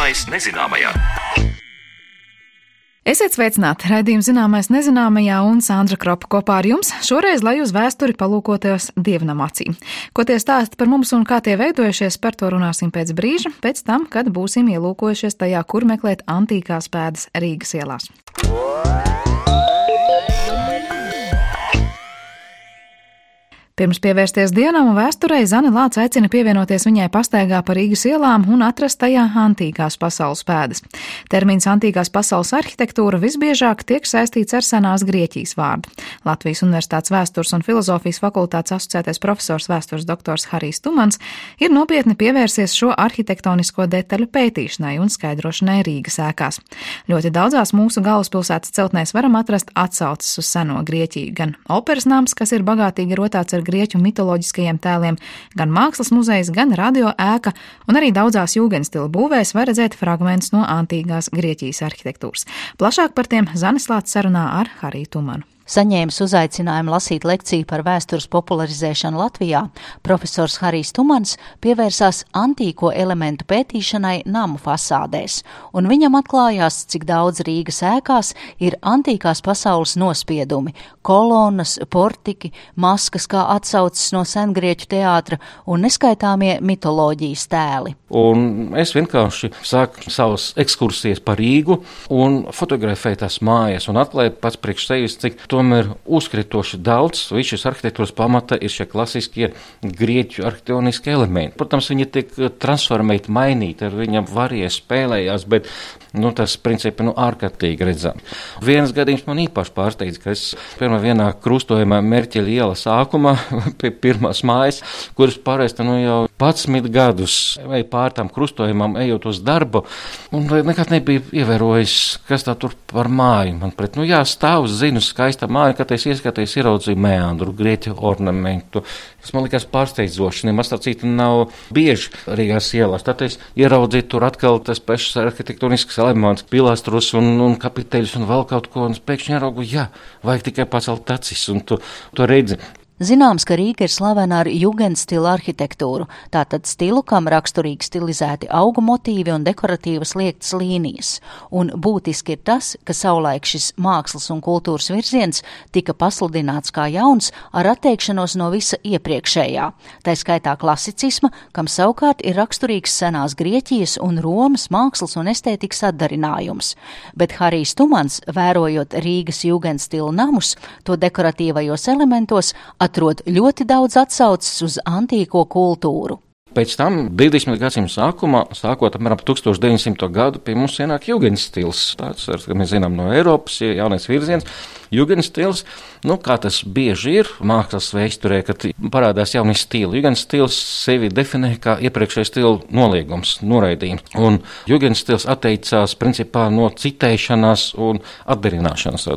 Zināmais nezināmajā. Esiet sveicināti! Raidījums Zināmais nezināmajā un Sandra Kropa kopā ar jums. Šoreiz, lai uz vēsturi palūkotajos Dievnam acīm. Ko tie stāsta par mums un kā tie veidojušies, par to runāsim pēc brīža, pēc tam, kad būsim ielūkojušies tajā, kur meklēt antīkās pēdas Rīgas ielās. Pirms pievērsties dienām un vēsturei, Zane Lāce aicina pievienoties viņai pastaigā pa Rīgas ielām un atrast tajā antīkās pasaules pēdas. Termins antīkās pasaules arhitektūra visbiežāk tiek saistīts ar senās Grieķijas vārdu. Latvijas Universitātes vēstures un filozofijas fakultātes asociētais profesors vēstures doktors Harijs Tumans ir nopietni pievērsies šo arhitektonisko detaļu pētīšanai un skaidrošanai Rīgas ēkās. Ļoti daudzās mūsu galvaspilsētas celtnēs varam atrast atsauces uz seno Grieķiju, gan operas nams, kas ir bagātīgi rotāts ar grieķu mitoloģiskajiem tēliem, gan mākslas muzejs, gan radio ēka, un arī daudzās jūgenstila būvēs var redzēt fragmentus no antīkās Grieķijas arhitektūras. Plašāk par tiem Zane Lāce sarunā ar Hariju Tumanu. Saņēmis uzaicinājumu lasīt lekciju par vēstures popularizēšanu Latvijā, profesors Harijs Tumans pievērsās antīko elementu pētīšanai namu fasādēs, un viņam atklājās, cik daudz Rīgas ēkās ir antīkās pasaules nospiedumi, kolonas, portiki, maskas kā atsauces no sengrieķu teātra un neskaitāmie mitoloģijas tēli. Un es vienkārši sāku savas ekskursijas pa Rīgu un fotografēju tās mājas un atklāju pats priekš sevis, cik tomēr uzkritoši daudz. Viss šis arhitektūras pamata ir šie klasiskie grieķu arhitektoniskie elementi. Protams, viņi tiek transformēti, mainīti, ar viņam varie spēlējās, bet tas principi ārkārtīgi redzam. Viens gadījums man īpaši pārsteidz, ka es vienā krustojumā Merķeļa iela sākumā pie pirmās mājas, kuras pārēst jau 11 gadus vai pār tām krustojumam ejot uz darbu, un nekad nebija ievērojis, kas tā tur par māju man pret. Stāv, zinu, skaista māja, kad es ieskaties, ieraudzīju meandru, grieķu ornamentu. Tas man likās pārsteidzoši, nemaz tā cita nav bieži Rīgās ielās. Tad es ieraudzīju tur atkal tas pašs arhitektonisks elements, pilastrus un kapiteļus un vēl kaut ko, un pēkšņi ieraugu, vajag tikai pacelt acis, un tu redzi. Zināms, ka Rīga ir slavena ar jugendstila arhitektūru, tātad stilu, kam raksturīgi stilizēti augu motīvi un dekoratīvas liektas līnijas. Un būtiski ir tas, ka savulaik šis mākslas un kultūras virziens tika pasludināts kā jauns ar atteikšanos no visa iepriekšējā. Tā skaitā klasicisma, kam savukārt ir raksturīgs senās Grieķijas un Romas mākslas un estētikas atdarinājums. Bet Harijs Tumans, vērojot Rīgas jugendstila namus, to dekoratīvajos elementos, atrod ļoti daudz atsauces uz antīko kultūru. Pēc tam 20. gadsimta sākumā, sākot apmēram 1900. gadu, pie mums ienāk jugendstils. Tāds, kā mēs zinām no Eiropas, jaunais virziens. Jugendstils, kā tas bieži ir mākslas vēsturē, kad parādās jauni stili. Jugendstils sevi definē kā iepriekšējais stila noliegums, noraidījums. Un jugendstils atteicās principā no citēšanās un atdarināšanas.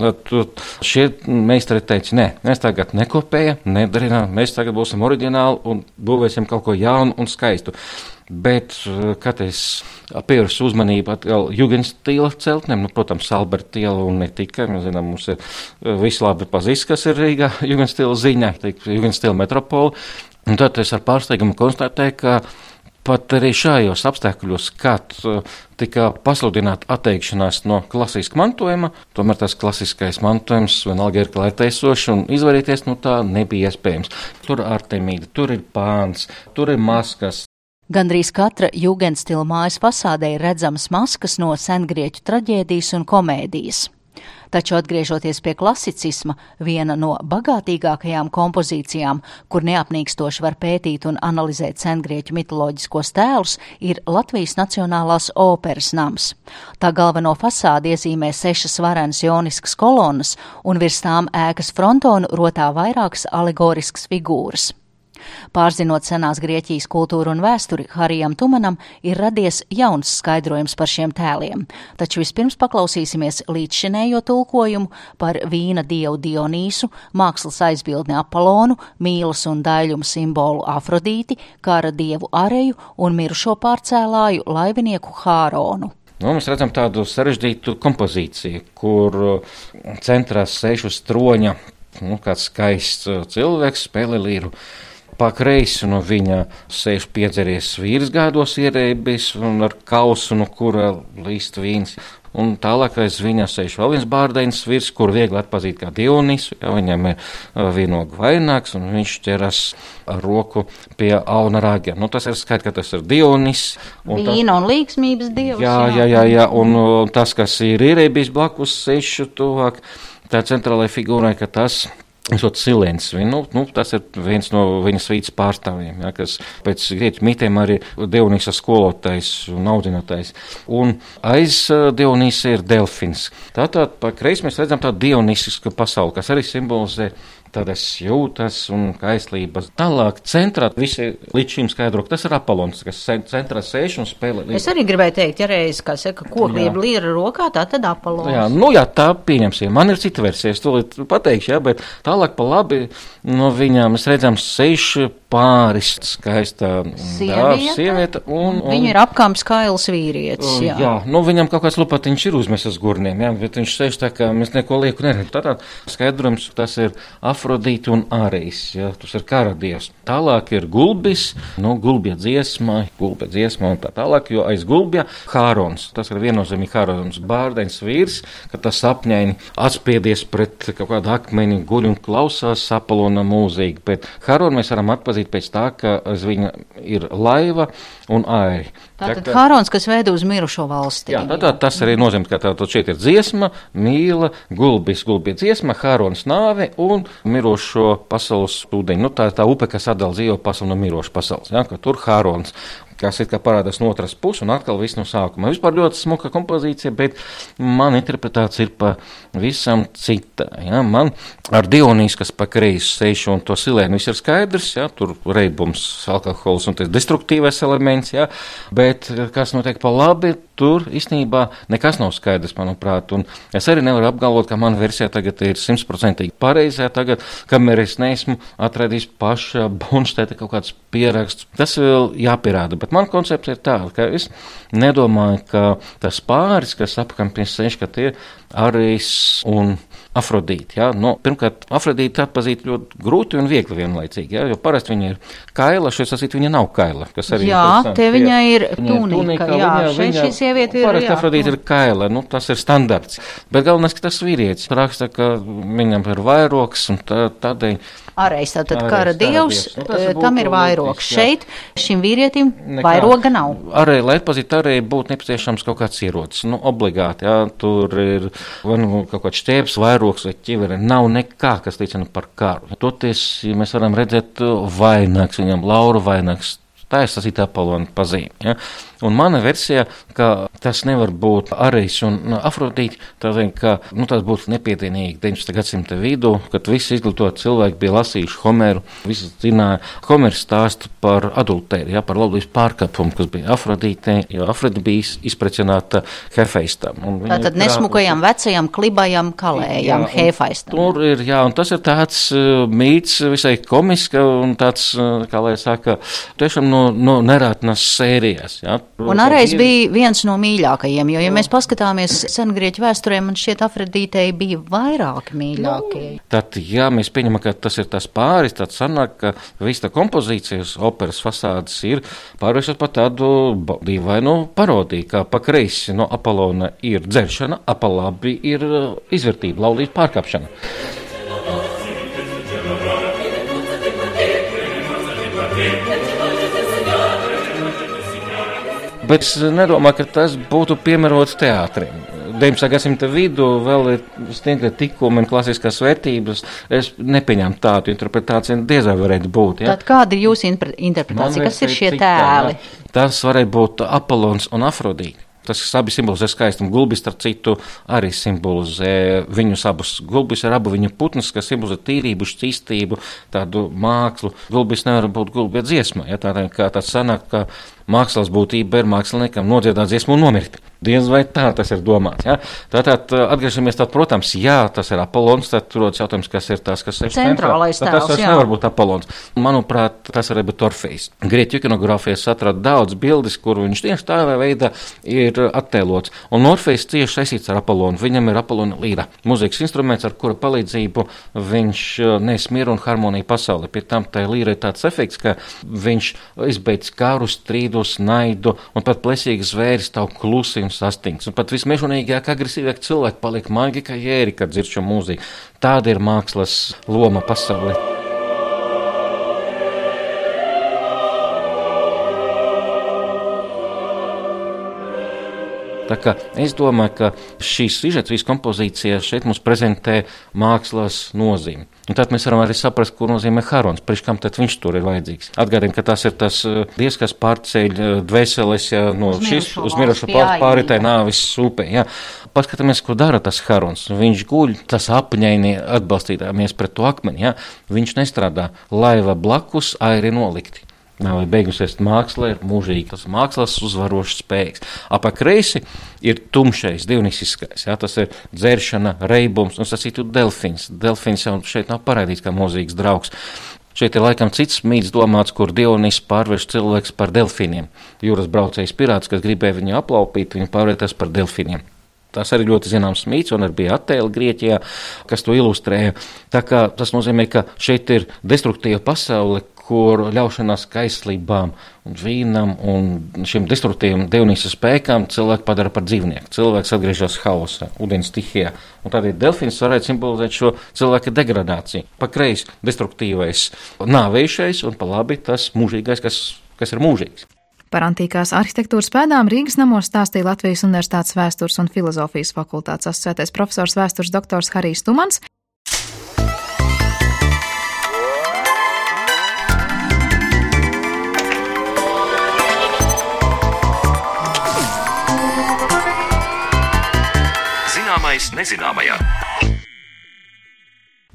Šie meistari teica, nē, mēs tagad nekopējam, nedarinām, mēs tagad būsim oriģināli un būvēsim kaut ko jaunu un skaistu. Bet, kad es pievērsu uzmanību atkal jugendstila celtnēm, protams, Alberta iela un ne tikai, mēs zinām, mums ir visi labi pazīst, kas ir Rīgā jugendstila ziņā, jugendstila metropola, un tad es ar pārsteigumu konstatēju, ka pat arī šajos apstākļos, kad tika pasludināta atteikšanās no klasiska mantojuma, tomēr tas klasiskais mantojums vienalga ir klātiesošs un izvairīties no tā nebija iespējams. Tur ir Artemīda, tur ir pāns, tur ir maskas. Gandrīz katra jugendstila mājas fasādē ir redzamas maskas no sengrieķu traģēdijas un komēdijas. Taču atgriežoties pie klasicisma, viena no bagātīgākajām kompozīcijām, kur neapnīkstoši var pētīt un analizēt sengrieķu mitoloģiskos tēlus, ir Latvijas Nacionālās operas nams. Tā galveno fasādi iezīmē 6 varenas joniskas kolonas, un virs tām ēkas frontonu rotā vairākas alegoriskas figūras. Pārzinot senās Grieķijas kultūru un vēsturi, Harijam Tumanam ir radies jauns skaidrojums par šiem tēliem, taču vispirms paklausīsimies līdzšinējo tulkojumu par vīna dievu Dionīsu, mākslas aizbildni Apolonu, mīlas un daļumu simbolu Afrodīti, kara dievu Areju un mirušo pārcēlāju laivinieku Hāronu. Mēs redzam tādu sarežģītu kompozīciju, kur centrā sēž uz troņa kāds skaists cilvēks, spēlē līru. pa kreisi no viņa sēž piedzeries vīrs gaidos ierēbis un ar kausu, no kura līst vīns. Un tālāk aiz viņa sēž vēl viens bārdeņas vīrs, kur viegli atpazīt kā Dionisu, ja viņam ir vīnogu vainags, un viņš ķeras ar roku pie auna ragiem. Nu, tas ir skaidrs, ka tas ir Dionis. Vīna un līgsmības dievs. Jā, un tas, kas ir ierēbis blakus sešu tuvāk, tā centrālajai figūrai, ka tas esot Silens, tas ir viens no viņa svītas pārstāvjiem, ja, kas pēc grieķu mitiem arī Dionīsa skolotājs un audzinātājs. Un aiz Dionīsa ir Delfins. Tātad pa kreisi mēs redzam tādu dionisisku pasauli, kas arī simbolizē tādas jūtas un kaislības. Tālāk centrā visi līdz šim skaidro, ka tas ir Apolons, kas centrā sēž un spēlē. Es arī gribēju teikt, ja reiz, kā saka, koklība līra rokā, tā tad Apolons. Jā, tā pieņemsim. Man ir cita versija, es to pateikšu, jā, bet tālāk pa labi no viņām mēs redzam seši pāris skaistā sievieta. Viņa ir apkāms kails vīrietis, jā. Viņam kaut kāds lupatiņš ir uzmesas gurniem, jā, bet viņš sēž tā, ka mēs neko lieku neredzam. Tātad skaidrojums, tas ir Afrodīte un Ārejs, ja, tas ir kara dievs. Tālāk ir Gulbis, gulbja dziesma un tā tālāk, jo aiz gulbja Hārons, tas ir viennozīmīgi Hārons, bārdeņs vīrs, ka tas apņēni atspiedies pret kaut kādu akmeni, guļ un klausās Apolona mūzīgi, bet Hāronu mēs varam atpazīt pēc tā, ka aiz viņa ir laiva un airi. Tātad Hārons, kas veido uz mirušo valsti. Jā, tas arī nozīmē, ka tātad šeit ir dziesma, mīla, gulbja dziesma, Hārons nāve un mirošo pasaules ūdeņi. Tā ir tā upe, kas atdala dzīvo pasauli no miroša pasaules, ja, ka tur Hārons, kas it kā parādās no otras puses un atkal viss no sākuma. Vispār ļoti smuka kompozīcija, bet man interpretācija ir pa visam cita. Ja. Man ar Dionīsu, kas pa kreisi sēž un to Silēnu, viss ir skaidrs, ja, tur reibums, alkohols un tas destruktīvais elements, ja, bet kas notiek pa labi, tur īstenībā nekas nav skaidrs, manuprāt, un es arī nevaru apgalvot, ka mana versija tagad ir 100% pareizā tagad, kamēr es neesmu atradījis paša Bunšteta kaut kāds pieraksts. Tas vēl jāpierāda, bet man koncepts ir tāda, ka es nedomāju, ka tas pāris, kas apkampies sēž, ka tie Ārejs un Afrodīte. Ja? Pirmkārt, Afrodīte atpazīt ļoti grūti un viegli vienlaicīgi, ja? Jo parasti viņa ir kaila, šeit sasīt viņa nav kaila. Te viņa ir tunika, šī sieviete ir. Parasti Afrodīte ir kaila, tas ir standarts. Bet galvenais, ka tas vīrietis raksta, ka viņam ir vairoks un tādēļ. Ārējs, tātad kara dievs, tam ir vairoks. Šeit šim vīrietim vairoga nav. Arī, lai atpazītu, arī būtu nepieciešams kaut kāds ierocis. Obligāti, jā, tur ir kaut kāds štēps, vairoks vai ķivere. Nav nekā, kas liecina par karu. Toties, ja mēs varam redzēt vainags, viņam lauru vainags. Tā ir sasīta Apolona pazīme. Ja? Un mana versija, ka tas nevar būt Ārejs un Afrodīte, tādēļ, ka tas būtu nepietienīgi 19. gadsimta vidū, kad visi izglītoti cilvēki bija lasījuši Homeru, visi zināja Homeru stāstu par adultēri, ja, par laulības pārkāpumu, kas bija Afrodīte, jo Afrodīte bija izprecināta Hefeistam. Tātad nesmukajam, vecajam, klibajam, kalējam, Hefeistam. Tur ir, jā, un tas ir tāds mīts visai komiska un tāds, kā lai saka, tiešām no nerātnas sērijas, ja. Un Ārejs bija viens no mīļākajiem, jo, ja mēs paskatāmies sengrieķu vēsturē, man šķiet Afrodītei bija vairāki mīļākie. Tad, ja mēs pieņemam, ka tas ir tas pāris, tad sanāk, ka visa kompozīcijas operas fasādes ir pārvēršas par tādu dīvainu parodiju, kā pa kreisi no Apolona ir dzeršana, a pa labi ir izvērtība, laulības pārkāpšana. Bet es nedomāju, ka tas būtu piemērots teātrim. 19. gadsimta vidū vēl ir stingri tikumi un klasiskās vērtības. Es nepieņemu tādu interpretāciju, diez vai varētu būt. Ja? Tad kāda ir jūsu interpretācija? Kas ir šie tēli? Tas varētu būt Apolons un Afrodīte. Tas abi simbolizē skaistumu. Gulbis, starp citu, arī simbolizē viņus abus. Gulbis ir abu viņa putnas, kas simbolizē tīrību, šķīstību, tādu mākslu. Gulbis nevar būt gulbja dziesma. Ja? Tādēļ, kā tāds sanāk, ka mākslas būtība ir māksliniekam nodziedāt dziesmu un nomirt. Diez vai tā tas ir domāts. Ja? Tātad atgriežamies, protams, jā, tas ir Apollons, tad rodas jautājums, kas ir tas, kas ir centrālais tēls. Tas nevar būt Apollons. Manuprāt, tas var būt Orfejs. Grieķu ikonogrāfijas atrada daudz bildes, kur viņš tieši tādā veidā ir attēlots. Un Orfejs cieši saistīts ar Apollonu. Viņam ir Apollona līra, mūzikas instruments, ar kura palīdzību viņš nes mieru un harmoniju pasauli. Pie tam tai līra ir tāds efekts, ka viņš izbeidz karus, strīdus, naidu un pat plēsīgas zvēris tavu klusi un sastingts. Un pat vismežonīgāk, agresīvāk cilvēki paliek maigi kā jēri, kad dzird šo mūziku. Tāda ir mākslas loma pasaulē. Tā kā es domāju, ka šīs sižets kompozīcijas šeit mums prezentē mākslas nozīmi. Un tad mēs varam arī saprast, ko nozīmē Harons, priekš kam tad viņš tur ir vajadzīgs. Atgādājam, ka tas ir tas dievs, kas pārceļ dvēseles no šīs uz mirušo pāri tai nāvis upē. Ja. Paskatāmies, ko dara tas Harons. Viņš guļ, tas apņēni atbalstītāmies pret to akmeni. Ja. Viņš nestrādā, laiva blakus airi nolikti. Vai beigusies māksla ir mūžīga, tas mākslas uzvarošs spēks. Apakreisi ir tumšais, dievnisiskais, jā, tas ir dzeršana, reibums, un sacītu delfins. Delfins jau šeit nav parādīts kā mūzīgas draugs. Šeit ir laikam cits mīts domāts, kur Dionis pārvērš cilvēks par delfiniem. Jūras braucējs pirāts, kas gribēja viņu aplaupīt, viņu pārvērtās par delfiniem. Tas arī ļoti zināms mīts, un arī bija attēli Grieķijā, kas to ilustrēja. Tā kā tas nozīmē, ka šeit ir destruktīva pasaule, kur ļaušanās kaislībām un vīnam un šiem destruktīviem dievnīsas spēkām cilvēku padara par dzīvnieku. Cilvēks atgriežas haosa, ūdens stihijā. Un tādēļ delfins varētu simbolizēt šo cilvēka degradāciju. Pa kreisi destruktīvais nāvējušais un pa labi tas mūžīgais, kas ir mūžīgs. Par antīkās arhitektūras pēdām Rīgas namos stāstīja Latvijas Universitātes vēstures un filozofijas fakultātes asociētais profesors vēstures doktors Harijs Tumans. Zināmais nezināmajā.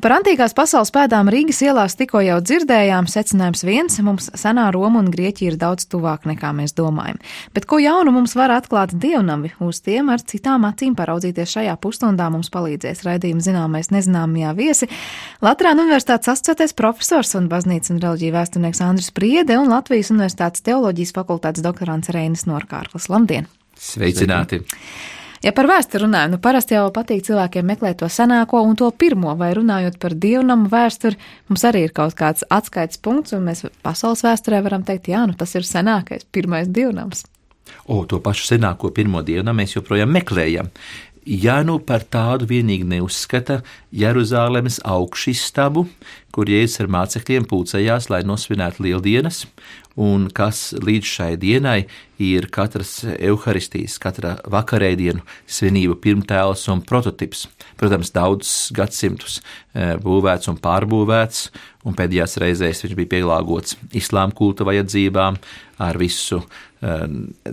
Par antīkās pasaules pēdām Rīgas ielās tikko jau dzirdējām, secinājums viens, mums senā Roma un Grieķija ir daudz tuvāk nekā mēs domājam. Bet ko jaunu mums var atklāt dievnavi? Uz tiem ar citām acīm paraudzīties šajā pusstundā mums palīdzēs raidījuma Zināmais nezināmajā viesi Latvijas Universitātes asociētais profesors un baznīcas un reliģiju vēsturnieks Andris Priede un Latvijas Universitātes teoloģijas fakultātes doktorants Reinis Norkārklis. Labdien! Sveicināti! Ja par vēsturi runājam, parasti jau patīk cilvēkiem meklēt to senāko un to pirmo, vai runājot par dievnamu vēsturi, mums arī ir kaut kāds atskaites punkts, un mēs pasaules vēsturē varam teikt, jā, tas ir senākais, pirmais dievnams. To pašu senāko pirmo dievnamu mēs joprojām meklējam. Ja par tādu vienīgi neuzskata Jeruzālemes augšistabu, kur Jēzus ar mācekļiem pulcējās, lai nosvinētu lieldienas, un kas līdz šai dienai ir katras euharistijas, katra vakarēdienu svinību pirmtēls un prototips. Protams, daudzus gadsimtus būvēts un pārbūvēts, un pēdējās reizēs viņš bija pielāgots islāma kulta vajadzībām ar visu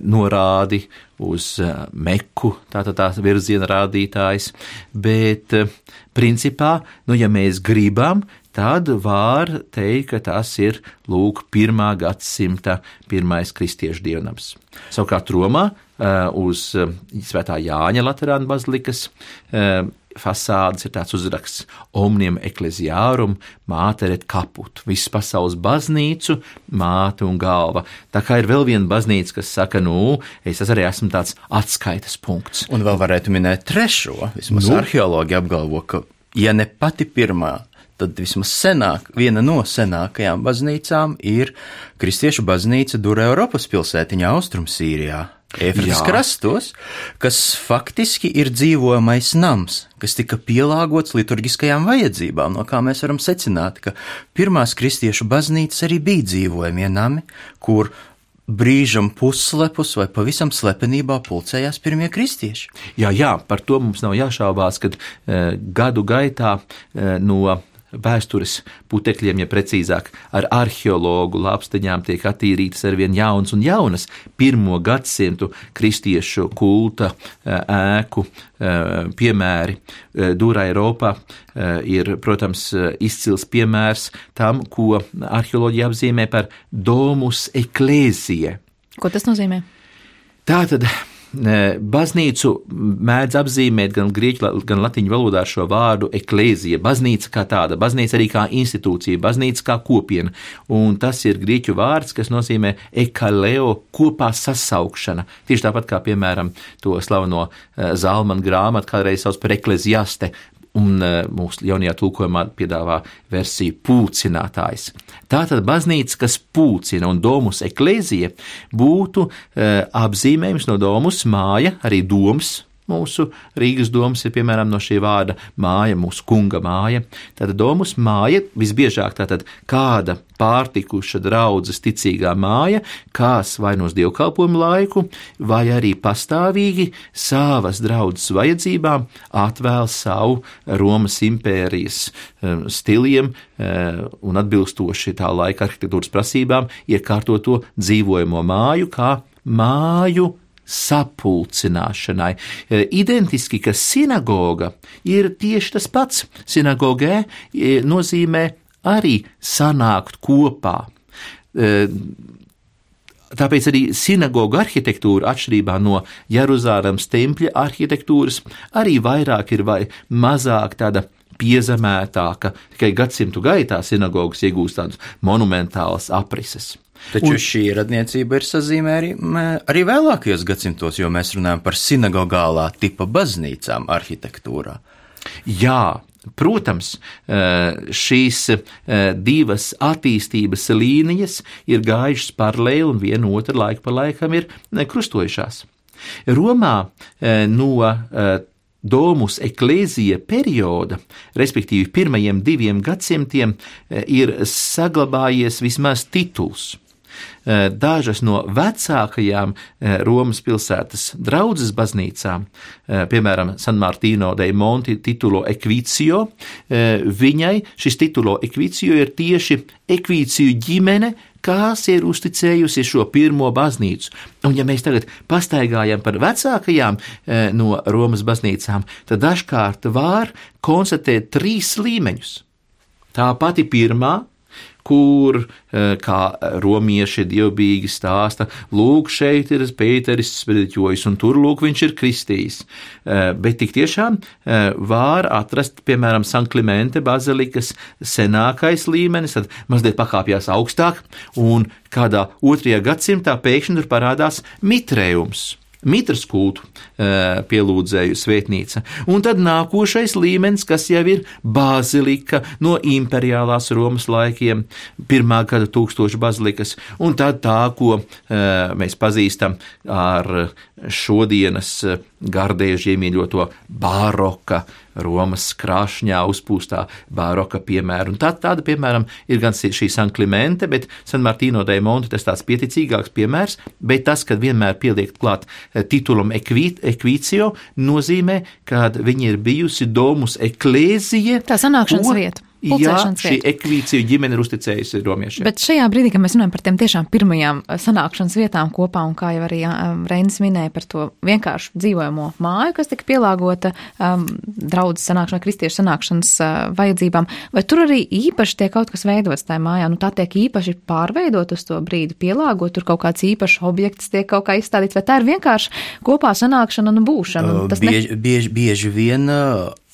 norādi uz Meku, tātad tās virziena rādītājs, bet principā, ja mēs gribam, tad var teikt, ka tas ir, 1. gadsimta pirmais kristiešu dievnams. Savukārt Romā uz Svētā Jāņa Laterāna bazilikas fasādes ir tāds uzraksts Omnium Ecclesiarum Mater et Caput, visas pasaules baznīcu, māte un galva. Tā kā ir vēl viena baznīca, kas saka, es arī esmu tāds atskaites punkts. Un vēl varētu minēt trešo, vismaz arheologi apgalvo, ka, ja ne pati pirmā, tad vismaz viena no senākajām baznīcām ir kristiešu baznīca Dura Eiropas pilsētiņā Austrumsīrijā. Efrates krastos, kas faktiski ir dzīvojamais nams, kas tika pielāgots liturgiskajām vajadzībām, no kā mēs varam secināt, ka pirmās kristiešu baznīcas arī bija dzīvojamie nami, kur brīžam pusslepus vai pavisam slepenībā pulcējās pirmie kristieši. Jā, par to mums nav jāšaubās, kad gadu gaitā no vēstures putekļiem, ja precīzāk, ar arheologu lāpstiņām tiek attīrītas arvien jaunas un jaunas 1. gadsimtu kristiešu kulta ēku piemēri. Dura Eiropā ir, protams, izcils piemērs tam, ko arheoloģija apzīmē par domus ecclesiae. Ko tas nozīmē? Tātad baznīcu mēdz apzīmēt gan grieķu, gan latiņu valodā šo vārdu eklēzija, baznīca kā tāda, baznīca arī kā institūcija, baznīca kā kopiena, un tas ir grieķu vārds, kas nozīmē ekaleo, kopā sasaukšana, tieši tāpat kā, piemēram, to slaveno Zalmana grāmatu kādreiz sauc par ekleziaste, un mūsu jaunajā tulkojumā piedāvā versiju pulcinātājs. Tātad baznīca, kas pulcina, un domus eklēzija būtu apzīmējums no domus māja, arī doms. Mūsu Rīgas domas ir, piemēram, no šī vārda māja, mūsu kunga māja. Tātad domus māja, visbiežāk tātad kāda pārtikuša draudzes ticīgā māja, kās vai no dievkalpojumu laiku, vai arī pastāvīgi savas draudzes vajadzībām atvēl savu Romas impērijas stiliem un atbilstoši tā laika arhitektūras prasībām iekārtoto dzīvojamo māju kā māju sapulcināšanai. Identiski, ka sinagoga ir tieši tas pats. Sinagogē nozīmē arī sanākt kopā. Tāpēc arī sinagoga arhitektūra, atšķirībā no Jeruzālemes tempļa arhitektūras, arī vairāk ir vai mazāk tāda piezemētāka, tikai gadsimtu gaitā sinagogas iegūst tādus monumentālas aprises. Taču šī radniecība ir sazīmē arī vēlākajos gadsimtos, jo mēs runājam par sinagogālā tipa baznīcām arhitektūrā. Jā, protams, šīs divas attīstības līnijas ir gājušas paralēli un viena otra laiku pa laikam ir krustojušās. Romā no domus eklēzija perioda, respektīvi pirmajiem 2 gadsimtiem, ir saglabājies vismaz tituls. Dažas no vecākajām Romas pilsētas draudzes baznīcām, piemēram, San Martino dei Monti titulo equicio, viņai šis titulo equicio ir tieši ekvīciju ģimene, kas ir uzticējusi šo pirmo baznīcu. Un ja mēs tagad pastaigājam par vecākajām no Romas baznīcām, tad dažkārt var konstatēt 3 līmeņus. Tā pati pirmā, kur, kā romieši dievbijīgi stāsta, lūk, šeit ir Pēteris sprediķojis, un tur, lūk, viņš ir kristījis. Bet tik tiešām var atrast, piemēram, San Klimente bazilikas senākais līmenis, tad mazliet pakāpjās augstāk, un kādā 2. gadsimtā pēkšņi tur parādās mitrējums. Mitras kultu pielūdzēju svētnīca. Un tad nākošais līmenis, kas jau ir bazilika no imperiālās Romas laikiem, 1. gada 1000 bazilikas, un tad tā, ko mēs pazīstam ar šodienas gardēži iemīļoto baroka, Romas krāšņā uzpūstā baroka piemēru. Un tāda, piemēram, ir gan šī San Klimente, bet San Martino dei Monti tas tāds pieticīgāks piemērs, bet tas, kad vienmēr pieliek klāt titulam equicio, nozīmē, ka viņi ir bijusi domus eklēzija. Tā sanākšanas vieta. Jā, šī ekvīcija ģimene ir uzticējusi romiešiem. Bet šajā brīdī, kad mēs runājam par tiem tiešām pirmajām sanākšanas vietām kopā, un kā jau arī Reinis minēja par to vienkāršu dzīvojamo māju, kas tika pielāgota draudzes sanākšanai, kristiešu sanākšanas vajadzībām, vai tur arī īpaši tiek kaut kas veidots tajā mājā? Nu, tā tiek īpaši pārveidot uz to brīdi, pielāgot, tur kaut kāds īpašs objekts tiek kaut kā izstādīts, vai tā ir vienkārši kopā sanākšana un būšana? Bieži vien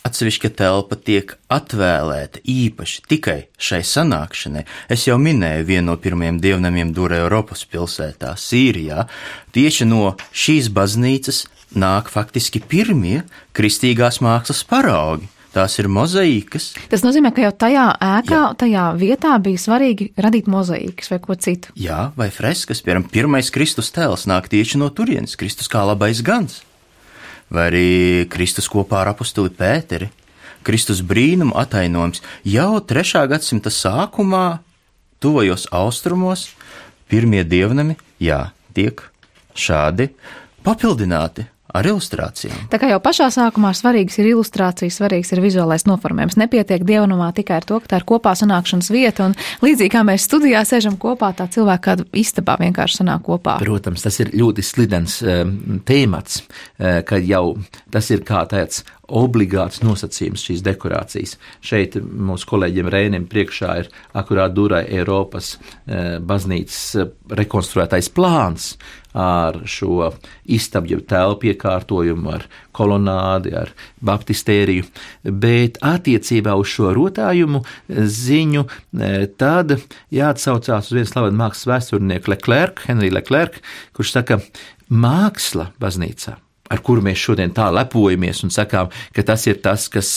atsevišķa telpa tiek atvēlēta īpaši tikai šai sanākšanai. Es jau minēju vienu no pirmajiem dievnamiem Dura Eiropas pilsētā, Sīrijā. Tieši no šīs baznīcas nāk faktiski pirmie kristīgās mākslas paraugi. Tās ir mozaīkas. Tas nozīmē, ka jau tajā ēkā, tajā vietā bija svarīgi radīt mozaīkas vai ko citu. Jā, vai freskas. Piemēram, pirmais Kristus tēls nāk tieši no turienes, Kristus kā labais gans. Vai arī Kristus kopā ar apostuli Pēteri. Kristus brīnuma atainojums jau 3. gadsimta sākumā, tuvajos austrumos, pirmie dievnami, tiek šādi papildināti ar ilustrācijām. Tā kā jau pašā sākumā svarīgs ir ilustrācijas, svarīgs ir vizuālais noformējums. Nepietiek dievnamā tikai ar to, ka tā ir kopā sanākšanas vieta, un līdzīgi kā mēs studijā sēžam kopā, tā cilvēka kādu istabā vienkārši sanāk kopā. Protams, tas ir ļoti slidens tēmats, kad jau tas ir kā tāds obligāts nosacījums šīs dekorācijas. Šeit mūsu kolēģiem Rēnim priekšā ir akurāt Durai Eiropas baznīcas rekonstruētais plāns ar šo istabu telpu iekārtojumu, ar kolonādi, ar baptistēriju, bet attiecībā uz šo rotājumu ziņu tad jāatsaucās uz vienu slavenu mākslas vēsturnieku Henriju Leclerc, kurš saka, māksla baznīcā, ar kuru mēs šodien tā lepojamies un sakām, ka tas ir tas, kas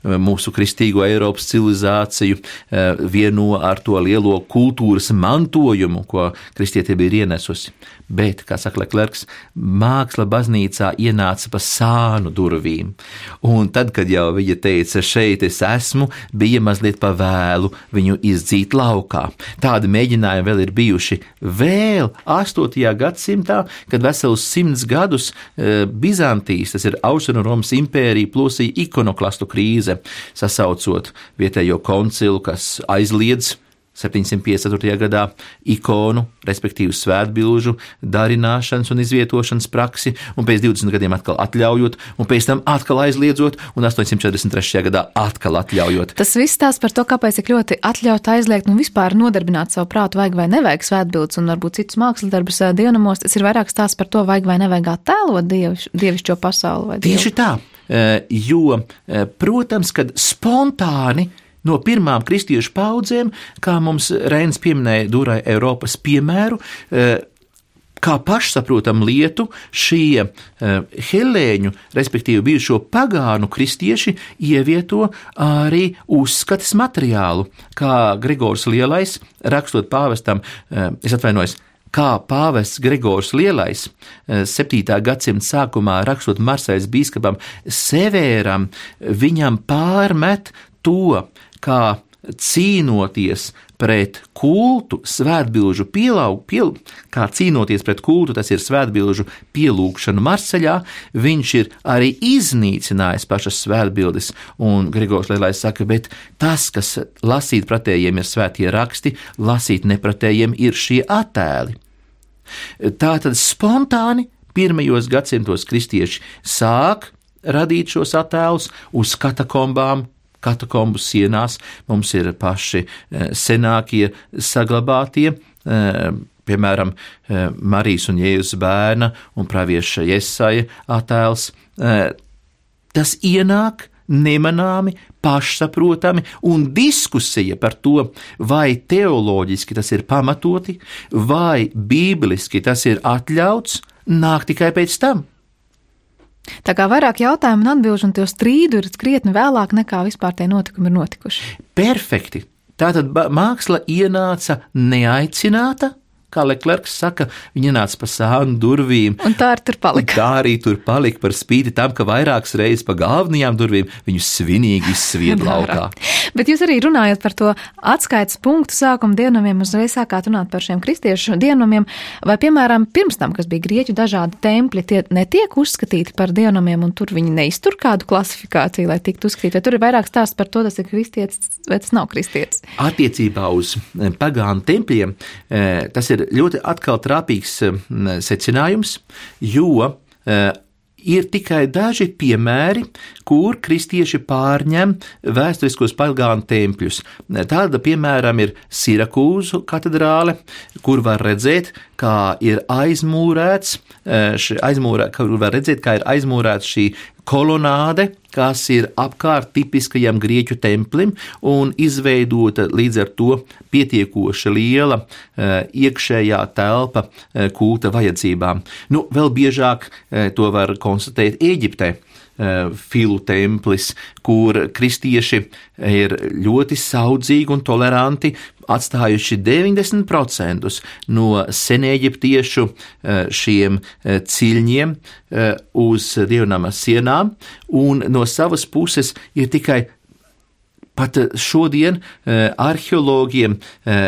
mūsu kristīgo Eiropas civilizāciju vieno ar to lielo kultūras mantojumu, ko kristietība ir ienesusi. Bet, kā saka Leclercs, māksla baznīcā ienāca pa sānu durvīm. Un tad, kad jau viņa teica, šeit es esmu, bija mazliet pa vēlu viņu izdzīt laukā. Tādi mēģinājumi vēl ir bijuši vēl 8. gadsimtā, kad vesels 100 gadus Bizantijas, tas ir Austrumromas impērija, plosīja ikonoklastu krīze, sasaucot vietējo koncilu, kas aizliedz 754. gadā ikonu, respektīvi svētbilžu darināšanas un izvietošanas praksi, un pēc 20 gadiem atkal atļaujot, un pēc tam atkal aizliedzot, un 843. gadā atkal atļaujot. Tas viss tās par to, kāpēc ir ļoti atļaut aizliegt un vispār nodarbināt savu prātu, vajag vai nevajag svētbildes un varbūt citus mākslas darbus dievnamos. Tas ir vairāk stāsts par to, vajag vai nevajag attēlot dievišķo pasauli. Tieši tā, jo, protams, kad spontāni no pirmām kristiešu paudzēm, kā mums Reinis pieminēja Durai Eiropas piemēru, kā pašsaprotam lietu, šie helēņu, respektīvi bijušo pagānu kristieši, ievieto arī uzskates materiālu, kā Gregors Lielais, rakstot pāvestam, kā pāvests Gregors Lielais 7. gadsimta sākumā rakstot Marseļas bīskapam Sevēram, viņam pārmet to, kā cīnoties pret kultu, svētbilžu kā cīnoties pret kultu, tas ir svētbilžu pielūgšanu Marseļā, viņš ir arī iznīcinājis pašas svētbildes, un Gregors Lielais saka, bet tas, kas lasīt pretējiem ir svētie raksti, lasīt nepretējiem ir šie attēli. Tātad spontāni pirmajos gadsimtos kristieši sāk radīt šos attēlus uz katakombām, katakombu sienās. Mums ir paši senākie saglabātie, piemēram, Marijas un Jēzus bērna un pravieša Jesaja attēls. Tas ienāk nemanāmi, pašsaprotami, un diskusija par to, vai teoloģiski tas ir pamatoti, vai bībeliski tas ir atļauts, nāk tikai pēc tam. Tā kā vairāk jautājumu un atbilžu un to strīdu ir krietni vēlāk nekā vispār tie notikumi ir notikuši. Perfekti. Tātad māksla ienāca neaicināta, kā Leclercs saka, viņa ienāca pa sānu durvīm. Un tā arī tur palika. Tā arī tur palika par spīti tam, ka vairākas reizes pa galvenajām durvīm viņu svinīgi izsvied laukā. Bet jūs arī runājat par to atskaites punktu sākuma dievnamiem, uzreiz sākāt runāt par šiem kristiešu dievnamiem, vai, piemēram, pirms tam, kas bija grieķu dažādi tempļi, tie netiek uzskatīti par dievnamiem, un tur viņi neiztur kādu klasifikāciju, lai tiktu uzskatīti, vai tur ir vairāk stāsts par to, tas ir kristietis, vai tas nav kristietis? Attiecībā uz pagānu tempļiem, tas ir ļoti atkal trāpīgs secinājums, jo ir tikai daži piemēri, kur kristieši pārņem vēsturiskos pagānu tempļus. Tāda, piemēram, ir Sirakūzu katedrāle, kur var redzēt, kā ir aizmūrēts šī kolonāde, kas ir apkārt tipiskajam grieķu templim un izveidota līdz ar to pietiekoši liela iekšējā telpa kulta vajadzībām. Vēl biežāk to var konstatēt Ēģiptē. Filu templis, kur kristieši ir ļoti saudzīgi un toleranti, atstājuši 90% no senēģiptiešu šiem ciļņiem uz dievnama sienām, un no savas puses ir tikai pat šodien arheologiem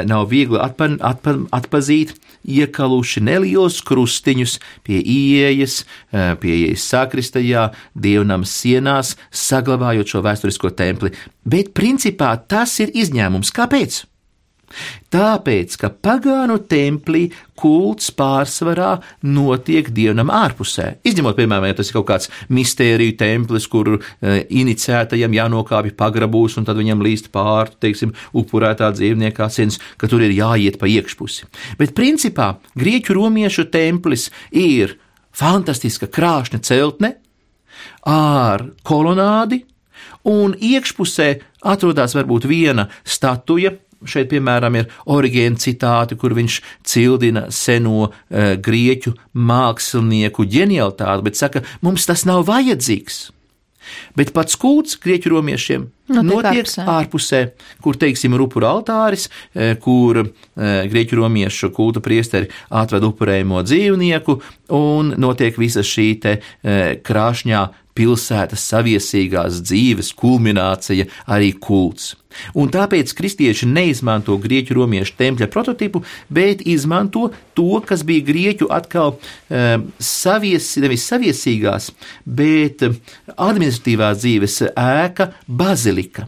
nav viegli atpazīt iekaluši nelielus krustiņus pie ieejas sakristajā, dievnama sienās, saglabājot šo vēsturisko templi. Bet principā tas ir izņēmums. Kāpēc? Tāpēc, ka pagānu templī kults pārsvarā notiek dievnam ārpusē. Izņemot, piemēram, ja tas ir kaut kāds mistēriju templis, kur iniciētajam jānokāpj pagrabūs un tad viņam līst pāri, teiksim, upurētā dzīvnieka asins, ka tur ir jāiet pa iekšpusi. Bet principā grieķu romiešu templis ir fantastiska krāšņa celtne ar kolonādi, un iekšpusē atrodas varbūt viena statuja. Šeit, piemēram, ir Origēna citāti, kur viņš cildina seno grieķu mākslinieku ģenialitāti, bet saka, mums tas nav vajadzīgs. Bet pats kults grieķu romiešiem notiek ārpusē, kur, teiksim, ir upuru altāris, kur grieķu romiešu kulta priesteri atved upurējumo dzīvnieku, un notiek visa šī te krāšņā pilsētas saviesīgās dzīves kulminācija, arī kults. Un tāpēc kristieši neizmanto grieķu romiešu tempļa prototipu, bet izmanto to, kas bija grieķu atkal nevis saviesīgās, bet administratīvās dzīves ēka bazilika.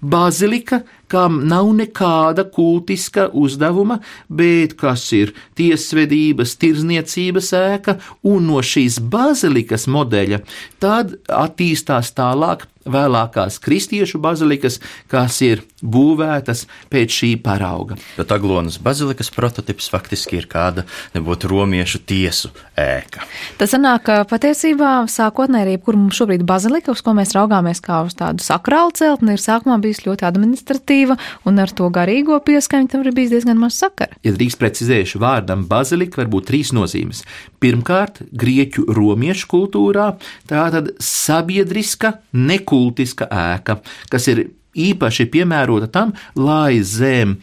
Bazilika, kam nav nekāda kultiska uzdevuma, bet kas ir tiesvedības, tirzniecības ēka, un no šīs bazilikas modeļa tad attīstās tālāk vēlākās kristiešu bazilikas, kas ir būvētas pēc šī parauga. Bet Aglonas bazilikas prototips faktiski ir kāda nebūtu romiešu tiesu ēka. Tas sanāk, ka patiesībā sākotnēji, kur mums šobrīd bazilika, uz ko mēs raugāmies kā uz tādu sakrālu celtni, ir sākumā bijis ļoti administratīva, un ar to garīgo pieskaņu tam ir bijis diezgan maz sakara. Ja drīkst precizējuši, vārdam bazilika var būt 3 nozīmes. Pirmkārt, grieķu romiešu kultūrā tātad sabiedriska, nekultiska ēka, kas ir īpaši piemērota tam, lai zem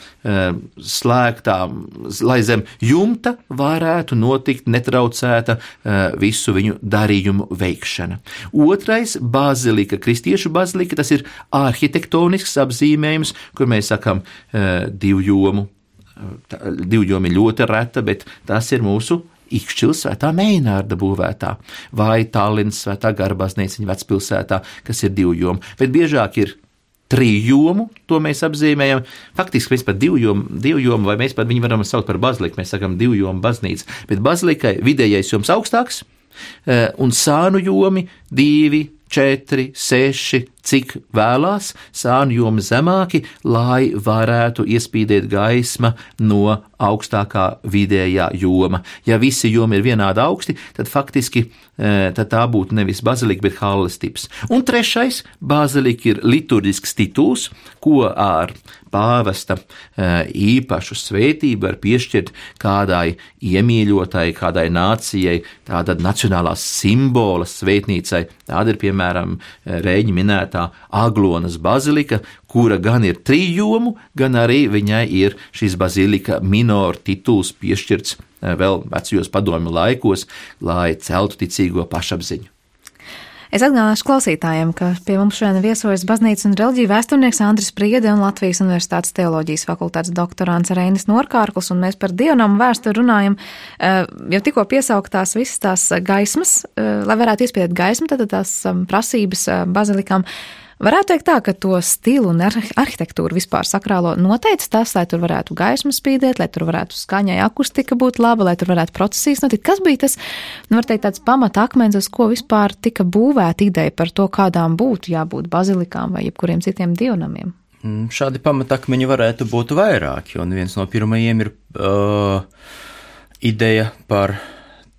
jumta varētu notikt netraucēta visu viņu darījumu veikšana. Otrais - bazilika, kristiešu bazilika, tas ir arhitektonisks apzīmējums, kur mēs sakam divjomu. Divjomi ļoti reta, bet tas ir mūsu Ikšķils Svētā Meinārda būvētā, vai Tallinas Svētā Gara baznīciņa vecpilsētā, kas ir divjomu, bet biežāk ir trījomu, to mēs apzīmējam. Faktiski mēs par divjomu, vai mēs par viņu varam saukt par baziliku, mēs sakam divjomu baznīca, bet bazilikai vidējais joms augstāks, un sānu jomi 2, 4, 6, cik vēlās, sānu jomi zemāki, lai varētu iespīdēt gaisma no augstākā vidējā joma. Ja visi jomi ir vienādi augsti, tad faktiski tad tā būtu nevis bazilika, bet halles tips. Un trešais, bazilika ir liturģisks tituls, ko ar pāvesta īpašu svētību var piešķirt kādai iemīļotai, kādai nācijai, tāda nacionālā simbola svētnīcai. Tāda ir, piemēram, Rēņa minētā Aglonas bazilika, kura gan ir trījomu, gan arī viņai ir šis bazilika minor tituls piešķirts vēl vecajos padomju laikos, lai celtu ticīgo pašapziņu. Es atgādināšu klausītājiem, ka pie mums šodien viesojas baznīcas un reliģiju vēsturnieks Andris Priede un Latvijas Universitātes teoloģijas fakultātes doktorāns Reinis Norkārkls, un mēs par dievnamu vēsturi runājam, jau tikko piesauktās visas tās gaismas, lai varētu iespējot gaismu, tad tās prasības bazilikām. Varētu teikt tā, ka to stilu un arhitektūru vispār sakrālo noteica tas, lai tur varētu gaismu spīdēt, lai tur varētu skaņai akustika būt laba, lai tur varētu procesijas notikt. Kas bija tas, var teikt, tāds pamata akmens, uz ko vispār tika būvēta ideja par to, kādām būtu jābūt bazilikām vai jebkuriem citiem dievnamiem? Šādi pamatakmeņi varētu būt vairāki, un viens no pirmajiem ir ideja par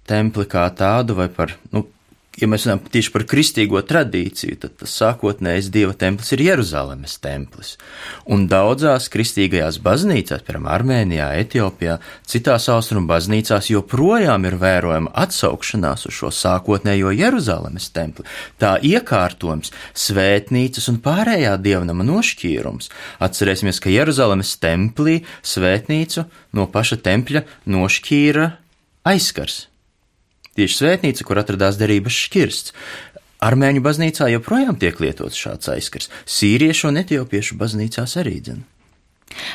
templi kā tādu vai par, ja mēs runājam tieši par kristīgo tradīciju, tad tas sākotnējais Dieva templis ir Jeruzalemes templis. Un daudzās kristīgajās baznīcās, piemēram, Armēnijā, Etiopijā, citās austrumu baznīcās joprojām ir vērojama atsaukšanās uz šo sākotnējo Jeruzalemes templi. Tā iekārtojums, svētnīcas un pārējā dievnama nošķīrums. Atcerēsimies, ka Jeruzalemes templī svētnīcu no paša tempļa nošķīra aizskars. Tieši svētnīca, kur atradās derības šķirsts. Armēņu baznīcā joprojām tiek lietots šāds aizskars. Sīriešu un etiopiešu baznīcās arī dzen.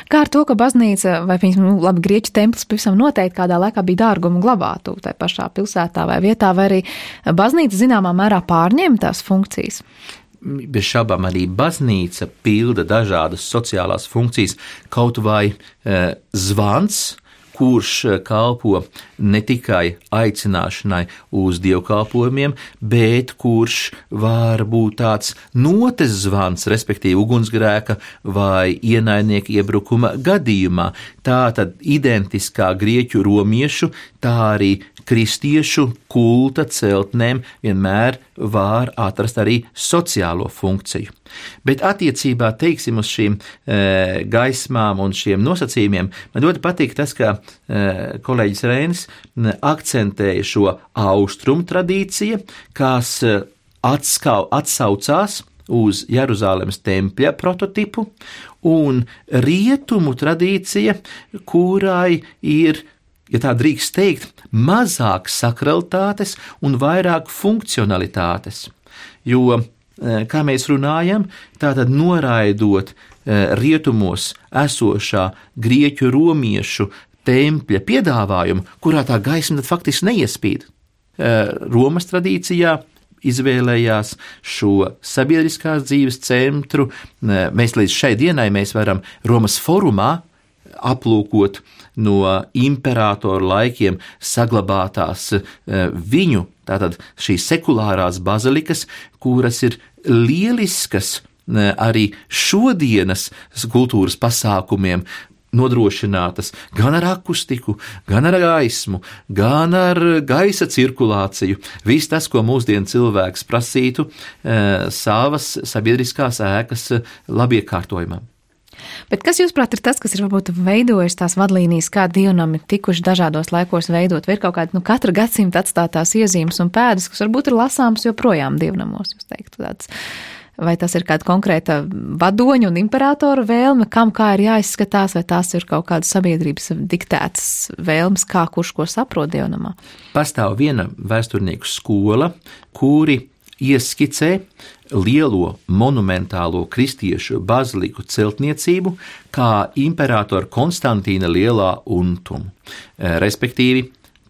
Kā ar to, ka baznīca vai, labi, grieķu templis pavisam noteikti kādā laikā bija dārgumu glabātu tai pašā pilsētā vai vietā, vai arī baznīca zināmā mērā pārņēma tās funkcijas? bez šaubām arī baznīca pilda dažādas sociālās funkcijas, kaut vai zvans, kurš kalpo ne tikai aicināšanai uz dievkalpojumiem, bet kurš var būt tāds notes zvans, respektīvi ugunsgrēka vai ienaidnieka iebrukuma gadījumā. Tā tad identiskā grieķu romiešu, tā arī kristiešu kulta celtnēm vienmēr var atrast arī sociālo funkciju. Bet attiecībā, teiksim, uz šīm gaismām un šiem nosacījumiem, man ļoti patīk tas, ka kolēģis Reinis akcentēja šo austrumu tradīciju, kas atsaucās uz Jeruzālemes tempļa prototipu, un rietumu tradīcija, kurai ir, ja tā drīkst teikt, mazāk sakralitātes un vairāk funkcionalitātes. Jo, kā mēs runājam, tātad noraidot rietumos esošā grieķu romiešu tempļa piedāvājumu, kurā tā gaisma faktiski neiespīd. Romas tradīcijā izvēlējās šo sabiedriskās dzīves centru. Mēs līdz šai dienai varam Romas forumā aplūkot no imperatoru laikiem saglabātās viņu, tātad šīs sekulārās bazilikas, kuras ir lieliskas arī šodienas kultūras pasākumiem, nodrošinātas gan ar akustiku, gan ar gaismu, gan ar gaisa cirkulāciju. Viss tas, ko mūsdienu cilvēks prasītu savas sabiedriskās ēkas labiekārtojumam. Bet kas, jūsuprāt, ir tas, kas ir varbūt veidojis tās vadlīnijas, kā dievnami tikuši dažādos laikos veidot? Vai ir kaut kāda katra gadsimta atstātās iezīmes un pēdas, kas varbūt ir lasāmas joprojām dievnamos, jūs teiktu tāds? Vai tas ir kāda konkrēta vadoņa un imperatora vēlme, kam kā ir jāizskatās, vai tās ir kaut kādas sabiedrības diktētas vēlmes, kā kurš ko saprot dievnamā? Pastāv viena vēsturnieku skola, kuri ieskicē lielo monumentālo kristiešu baziliku celtniecību kā imperatora Konstantīna lielā untumu. Respektīvi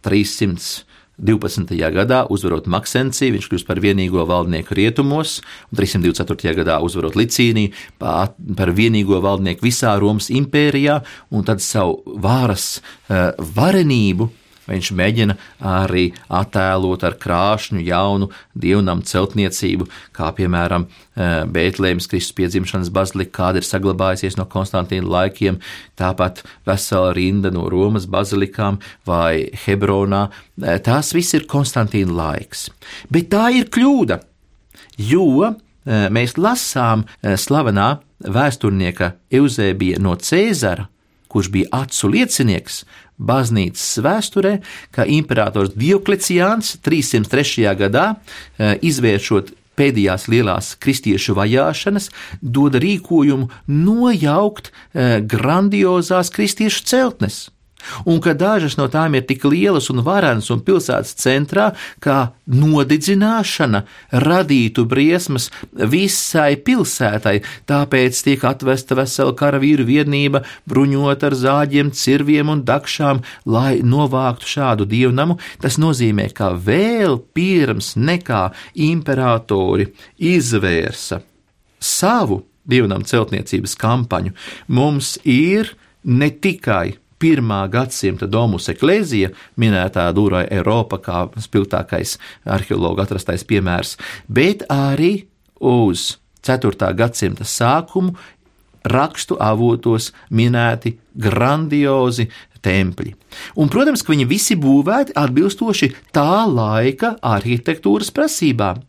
312. gadā uzvarot Maksenciju, viņš kļūst par vienīgo valdnieku rietumos, un 324. gadā uzvarot Licīniju par vienīgo valdnieku visā Romas impērijā, un tad savu varas varenību viņš mēģina arī attēlot ar krāšņu jaunu dievnamu celtniecību, kā piemēram Bētlēmes Kristus piedzimšanas bazilika, kāda ir saglabājusies no Konstantīna laikiem, tāpat vesela rinda no Romas bazilikām vai Hebronā. Tās viss ir Konstantīna laiks. Bet tā ir kļūda, jo mēs lasām slavenā vēsturnieka Euzēbija no Cēzara, kurš bija acu liecinieks baznīcas vēsturē, ka imperators Diokleciāns 303. gadā, izvēršot pēdējās lielās kristiešu vajāšanas, doda rīkojumu nojaukt grandiozās kristiešu celtnes. Un ka dažas no tām ir tik lielas un varenas un pilsētas centrā, kā nodedzināšana radītu briesmas visai pilsētai, tāpēc tiek atvesta vesela karavīru vienība, bruņot ar zāģiem, cirviem un dakšām, lai novāktu šādu dievnamu. Tas nozīmē, ka vēl pirms nekā imperatori izvērsa savu dievnamu celtniecības kampaņu, mums ir ne tikai 1. gadsimta Domus Ecclesia, minētā Dura Europa kā spilgtākais arheologu atrastais piemērs, bet arī uz 4. gadsimta sākumu rakstu avotos minēti grandiozi tempļi. Un, protams, ka viņi visi būvēti atbilstoši tā laika arhitektūras prasībām.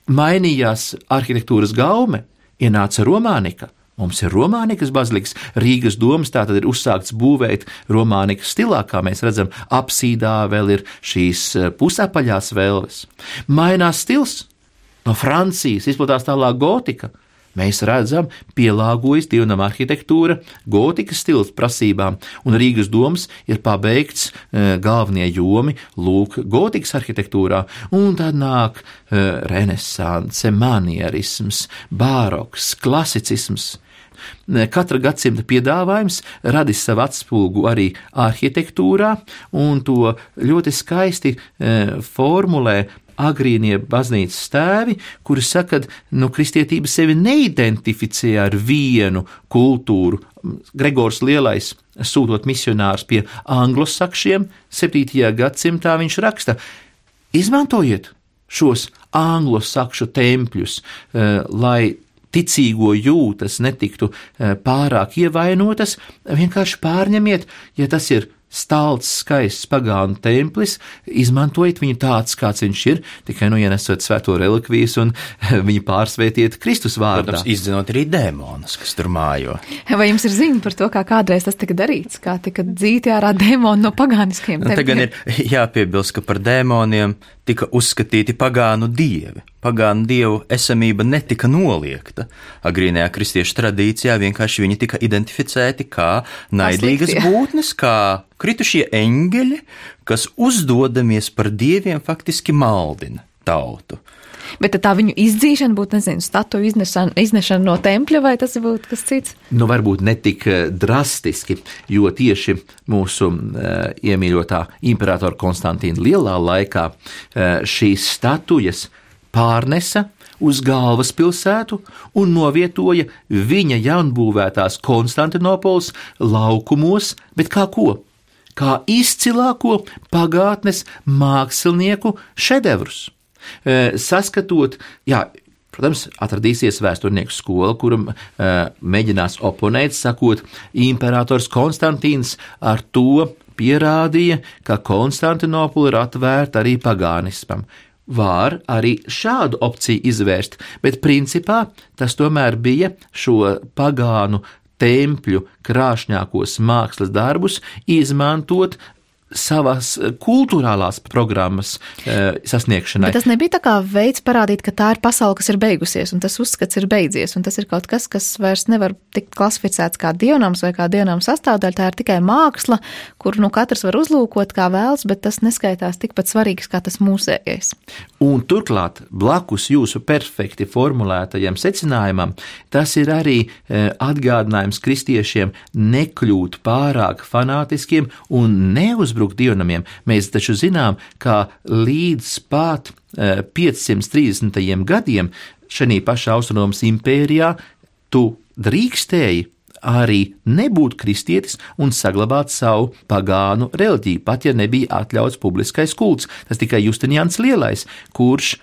Mainījās arhitektūras gaume, ienāca romānika. Mums ir romānikas bazilikas, Rīgas domas tātad ir uzsākts būvēt romānikas stilā, kā mēs redzam, apsīdā vēl ir šīs pusapaļās vēlves. Mainās stils, no Francijas izplatās tālāk gotika. Mēs redzam, pielāgojas dievnama arhitektūra gotikas stils prasībām, un Rīgas domas ir pabeigts galvenie jomi lūk gotikas arhitektūrā, un tad nāk renesanse, manierisms, baroks, klasicisms. Katra gadsimta piedāvājums radis savu atspulgu arī arhitektūrā, un to ļoti skaisti formulē agrīnie baznīcas tēvi, kuri saka, ka kristietība sevi neidentificē ar vienu kultūru. Gregors Lielais, sūtot misionārus pie anglosakšiem, 7. gadsimtā viņš raksta: izmantojiet šos anglosakšu tempļus, lai ticīgo jūtas netiktu pārāk ievainotas, vienkārši pārņemiet, ja tas ir stalts, skaists pagānu templis, izmantojiet viņu tāds, kāds viņš ir, tikai ienesot svēto relikvijas un viņu pārsvētiet Kristus vārdā. Protams, izdzinot arī dēmonus, kas tur mājo. Vai jums ir ziņa par to, kā kādreiz tas tika darīts, kā tika dzīti ārā dēmoni no pagāniskiem tempļiem? Te gan ir jāpiebilst, ka par dēmoniem tika uzskatīti pagānu dievi. Pagānu dievu esamība netika noliegta. Agrīnajā kristiešu tradīcijā vienkārši viņi tika identificēti kā naidīgas būtnes, kā kritušie eņģeļi, kas uzdodamies par dieviem faktiski maldina tautu. Bet tā viņu izdzīšana būtu, statuju iznešana no tempļa, vai tas būtu kas cits? Varbūt ne tik drastiski, jo tieši mūsu iemīļotā imperatora Konstantīna Lielā laikā šīs statujas pārnesa uz galvaspilsētu un novietoja viņa jaunbūvētās Konstantinopoles laukumos, bet kā ko? Kā izcilāko pagātnes mākslinieku šedevrus. Saskatot, protams, atradīsies vēsturnieku skola, kuram mēģinās oponēt, sakot, imperators Konstantīns ar to pierādīja, ka Konstantinopole ir atvērta arī pagānismam. Var arī šādu opciju izvērst, bet principā tas tomēr bija šo pagānu tempļu krāšņākos mākslas darbus izmantot savas kultūrālās programmas sasniegšanai. Bet tas nebija tā kā veids parādīt, ka tā ir pasaule, kas ir beigusies, un tas uzskats ir beidzies, un tas ir kaut kas, kas vairs nevar tikt klasificēts kā dievnams vai kā dievnams sastāvdaļa, tā ir tikai māksla, kur katrs var uzlūkot kā vēlas, bet tas neskaitās tikpat svarīgs kā tas mūsējais. Un turklāt, blakus jūsu perfekti formulētajam secinājumam, tas ir arī atgādinājums kristiešiem nekļūt pārāk fanātiskiem un neuzbrukt dievnamiem. Mēs taču zinām, ka līdz pat 530. gadiem šajā pašā Austromas impērijā tu drīkstēji arī nebūt kristietis un saglabāt savu pagānu reliģiju, pat ja nebija atļauts publiskais kults. Tas tikai Justinians Lielais, kurš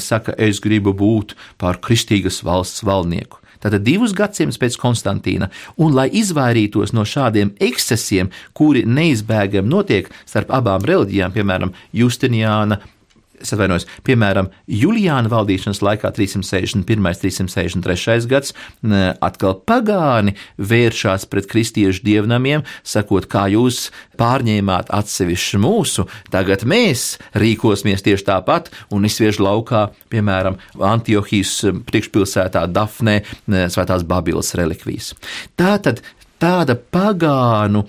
saka, es gribu būt par kristīgas valsts valdnieku. Tātad 2 gadsimtus pēc Konstantīna, un lai izvairītos no šādiem ekscesiem, kuri neizbēgami notiek starp abām reliģijām, piemēram, piemēram, Julijāna valdīšanas laikā 361. 363. gads, atkal pagāni vēršās pret kristiešu dievnamiem, sakot, kā jūs pārņēmāt atsevišķu mūsu, tagad mēs rīkosimies tieši tāpat un izsviež laukā, piemēram, Antiohijas priekšpilsētā Dafnē svētās Babilas relikvijas. Tāda pagānu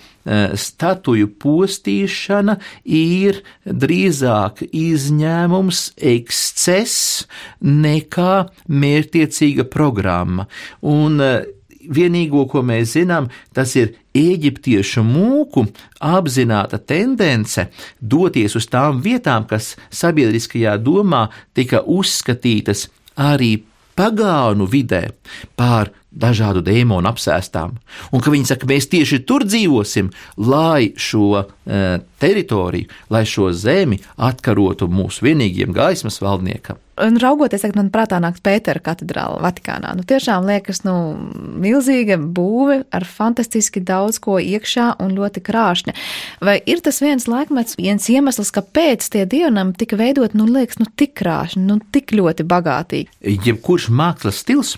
statuju postīšana ir drīzāk izņēmums, ekscess nekā mērķtiecīga programma. Un vienīgo, ko mēs zinām, tas ir eģiptiešu mūku apzināta tendence doties uz tām vietām, kas sabiedriskajā domā tika uzskatītas arī pagānu vidē par dažādu dēmonu apsēstām, un ka viņi saka, mēs tieši tur dzīvosim, lai šo teritoriju, lai šo zemi atkarotu mūsu vienīgiem gaismas valdniekam. Un raugoties, man prātā nāks Pētera katedrāla Vatikānā. Tiešām liekas, milzīga būve ar fantastiski daudz ko iekšā un ļoti krāšņa. Vai ir tas viens laikmets, viens iemesls, kāpēc tie dievnami tika veidot, liekas, tik krāšņi, tik ļoti bagātīgi? Jebkurš mākslas stils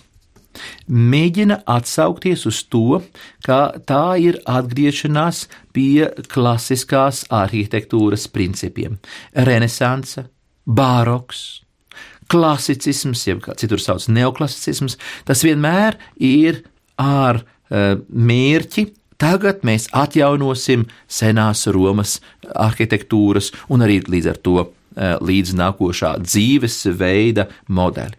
mēģina atsaukties uz to, ka tā ir atgriešanās pie klasiskās arhitektūras principiem. Renesanse, baroks, klasicisms, jeb kā citur sauc neoklasicisms, tas vienmēr ir ar mērķi. Tagad mēs atjaunosim senās Romas arhitektūras un arī līdz ar to līdz nākošā dzīves veida modeli.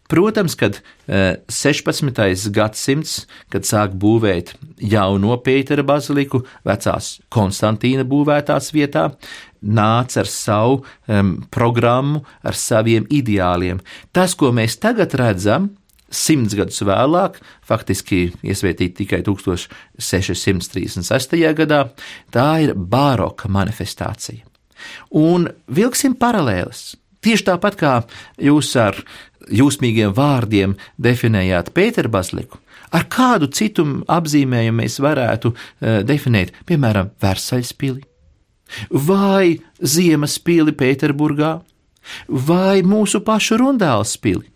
Protams, kad 16. gadsimts, kad sāk būvēt jauno Pētera baziliku vecās Konstantīna būvētās vietā, nāca ar savu programmu, ar saviem ideāliem. Tas, ko mēs tagad redzam, 100 gadus vēlāk, faktiski iesvētīti tikai 1636. gadā, tā ir baroka manifestācija. Un vilksim paralēles. Tieši tāpat kā jūs ar jūsmīgiem vārdiem definējāt Pēterbaziliku, ar kādu citu apzīmējumu mēs varētu definēt, piemēram, Versaļas pili, vai Ziemas pili Pēterburgā, vai mūsu pašu Rundāles pili.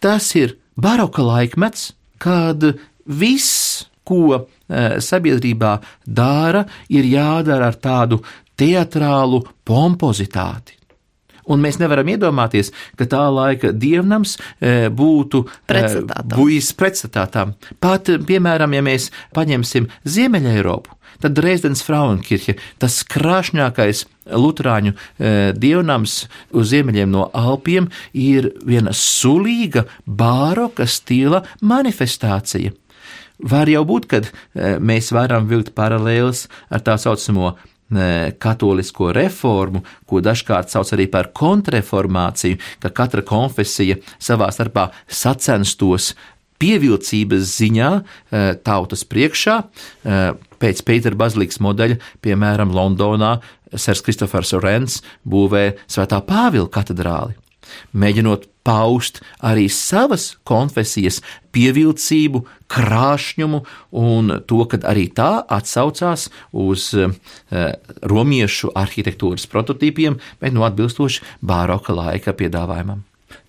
Tas ir baroka laikmets, kad viss, ko sabiedrībā dara, ir jādara ar tādu teatrālu pompozitāti. Un mēs nevaram iedomāties, ka tā laika dievnams būtu pretstatām. Pat, piemēram, ja mēs paņemsim Ziemeļa Eiropu, tad Dresdens Frauenkirche, tas krāšņākais luterāņu dievnams uz ziemeļiem no Alpiem, ir viena sulīga baroka stila manifestācija. Var jau būt, kad mēs varam vilkt paralēles ar tā saucamo katolisko reformu, ko dažkārt sauc arī par kontrreformāciju, ka katra konfesija savā starpā sacenstos pievilcības ziņā tautas priekšā. Pēc Pēterbazilikas modeļa, piemēram, Londonā Sers Kristofers Orens būvē Svētā Pāvila katedrāli, mēģinot paust arī savas konfesijas pievilcību, krāšņumu un to, ka arī tā atsaucās uz romiešu arhitektūras prototīpiem, bet atbilstoši baroka laika piedāvājumam.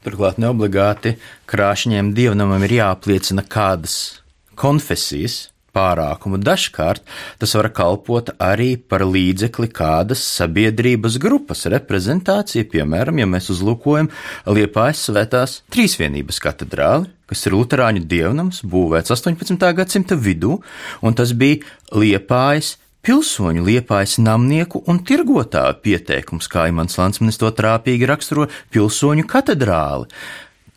Turklāt neobligāti krāšņiem dievnamam ir jāapliecina kādas konfesijas pārākumu. Dažkārt tas var kalpot arī par līdzekli kādas sabiedrības grupas reprezentācija, piemēram, ja mēs uzlūkojam Liepājas Svētās Trīsvienības katedrāli, kas ir luterāņu dievnams, būvēts 18. gadsimta vidū, un tas bija Liepājas pilsoņu, Liepājas namnieku un tirgotāju pieteikums, kā Imants Landsmanis to trāpīgi raksturo, pilsoņu katedrāli.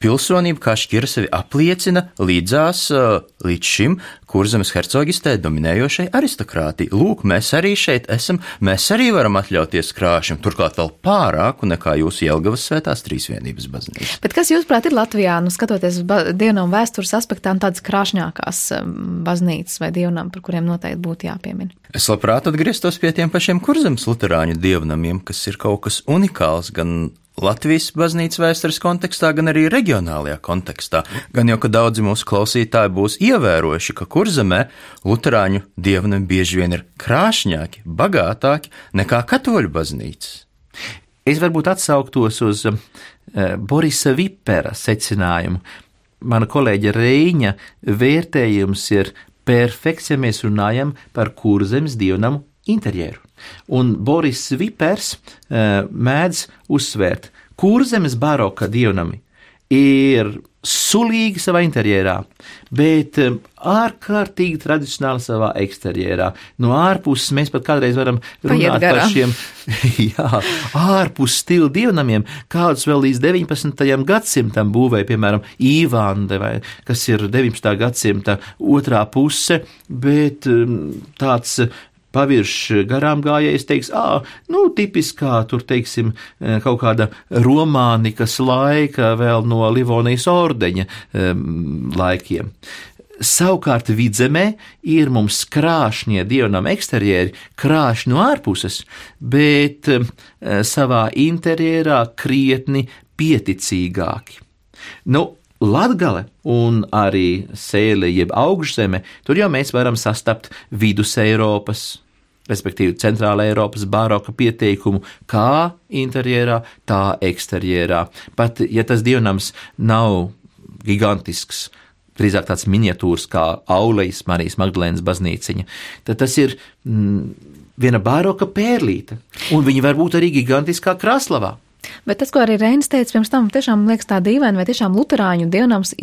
Pilsonība kā šķira sevi apliecina līdzās līdz šim Kurzemes hercogistē dominējošai aristokrātijai. Lūk, mēs arī šeit esam, mēs arī varam atļauties krāšņumu, turklāt vēl pārāku nekā jūsu Jelgavas Svētās Trīsvienības baznīca. Bet kas jūsuprāt ir Latvijā, skatoties uz dievnamu vēstures aspektām, tādas krāšņākās baznīcas vai dievnami, par kuriem noteikti būtu jāpiemina? Es labprāt atgrieztos pie tiem pašiem Kurzemes luterāņu dievnamiem, kas ir kaut kas unikāls gan Latvijas baznīcas vēstures kontekstā, gan arī reģionālajā kontekstā. Gan jau, ka daudzi mūsu klausītāji būs ievērojuši, ka Kurzemē luterāņu dievnami bieži vien ir krāšņāki, bagātāki nekā katoļu baznīcas. Es varbūt atsauktos uz Borisa Vipera secinājumu. Mana kolēģa Reiņa vērtējums ir perfekts, ja mēs runājam par Kurzemes dievnamu interjeru. Un Boris Vipers mēdz uzsvērt, Kurzemes baroka dievnami ir sulīgi savā interjerā, bet ārkārtīgi tradicionāli savā eksterjerā. No ārpuses mēs pat kādreiz varam runāt par šiem ārpus stilu dievnamiem, kādus vēl līdz 19. gadsimtam būvēja, piemēram, Īvande, kas ir 19. gadsimta otrā puse, bet tāds pavirš garām gājējs teiks, tipiskā, tur teiksim, kaut kāda romānikas laika vēl no Livonijas ordeņa laikiem. Savukārt Vidzemē ir mums krāšņie dievnam eksterjeri, krāšņi no ārpuses, bet savā interjerā krietni pieticīgāki. Latgale un arī Sēle jeb Augšzeme, tur jau mēs varam sastapt Vidus Eiropas, respektīvi Centrāla Eiropas baroka pieteikumu kā interjerā, tā eksterjerā. Pat, ja tas dievnams nav gigantisks, drīzāk tāds miniatūrs kā Aulejas Marijas Magdalēnas baznīciņa, tad tas ir viena baroka pērlīte, un viņa var būt arī gigantiskā Kraslavā. Bet tas, ko arī Reinis teica pirms tam, tiešām liekas tā dīvaini, vai tiešām luterāņu dievnams